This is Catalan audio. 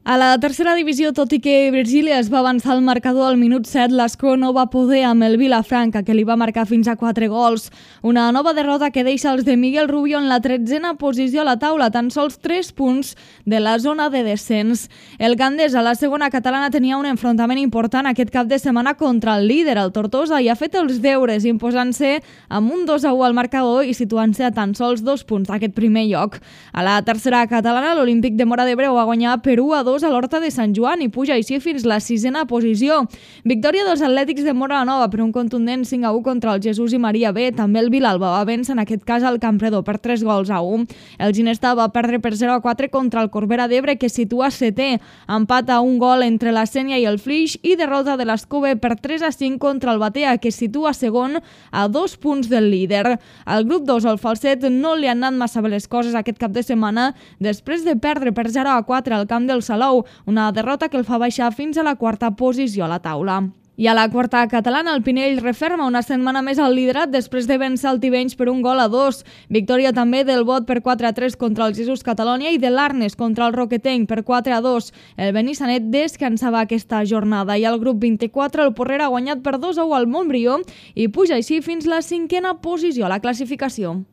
A la tercera divisió, tot i que Virgília es va avançar al marcador al minut 7, l'Escó no va poder amb el Vilafranca, que li va marcar fins a 4 gols. Una nova derrota que deixa els de Miguel Rubio en la 13a posició a la taula, tan sols 3 punts de la zona de descens. El Gandés, a la segona catalana, tenia un enfrontament important aquest cap de setmana contra el líder, el Tortosa, i ha fet els deures, imposant-se amb un 2-1 al marcador i situant-se a tan sols 2 punts d'aquest primer lloc. A la tercera catalana, l'Olímpic de Móra d'Ebre va guanyar per 1-2 a l'Horta de Sant Joan i puja així fins la 6a posició. Victòria dels Atlètics de Móra la Nova per un contundent 5-1 contra el Jesús i Maria B. També el Vilalba va vèncer en aquest cas al Campredó per 3-1. El Ginestà va perdre per 0-4 contra el Corbera d'Ebre, que situa 7è. Empat a un gol entre la Sénia i el Flix i derrota de l'Escove per 3-5 contra el Batea, que situa segon a 2 punts del líder. Al grup 2, el Falset, no li han anat massa bé les coses aquest cap de setmana després de perdre per 0-4 al camp del Salou, una derrota que el fa baixar fins a la 4a posició a la taula. I a la quarta catalana, el Pinell referma una setmana més al liderat després de vèncer el Tivenys per 1-2. Victòria també del Bot per 4-3 contra el Jesús Catalònia i de l'Arnes contra el Roquetenc per 4-2. El Benissanet descansava aquesta jornada i al grup 24 el Porrera ha guanyat per 2-1 al Montbrió i puja així fins la 5a posició a la classificació.